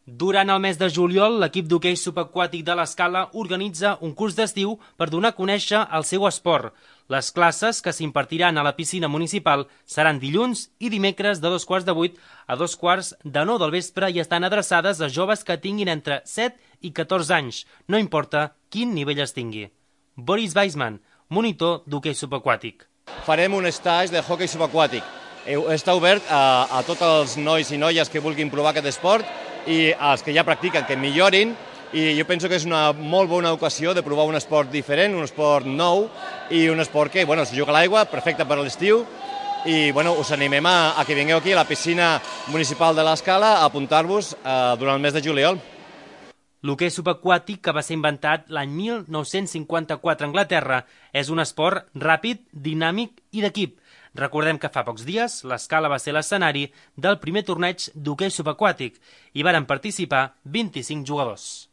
Durant el mes de juliol, l'equip d'hoquei subaquàtic de l'Escala organitza un curs d'estiu per donar a conèixer el seu esport. Les classes que s'impartiran a la piscina municipal seran dilluns i dimecres de 7:15 a 9:15 del vespre i estan adreçades a joves que tinguin entre 7 i 14 anys, no importa quin nivell es tingui. Boris Weisman, monitor d'hoquei subaquàtic. Farem un stage de hoquei subaquàtic. Està obert a tots els nois i noies que vulguin provar aquest esport i als que ja practiquen que millorin, i jo penso que és una molt bona ocasió de provar un esport diferent, un esport nou i un esport que es juga a l'aigua, perfecte per a l'estiu, i us animem a que vingueu aquí a la piscina municipal de l'Escala a apuntar-vos durant el mes de juliol. L'hoquei subaquàtic, que va ser inventat l'any 1954 a Anglaterra, és un esport ràpid, dinàmic i d'equip. Recordem que fa pocs dies l'Escala va ser l'escenari del primer torneig d'hoquei subaquàtic i varen participar 25 jugadors.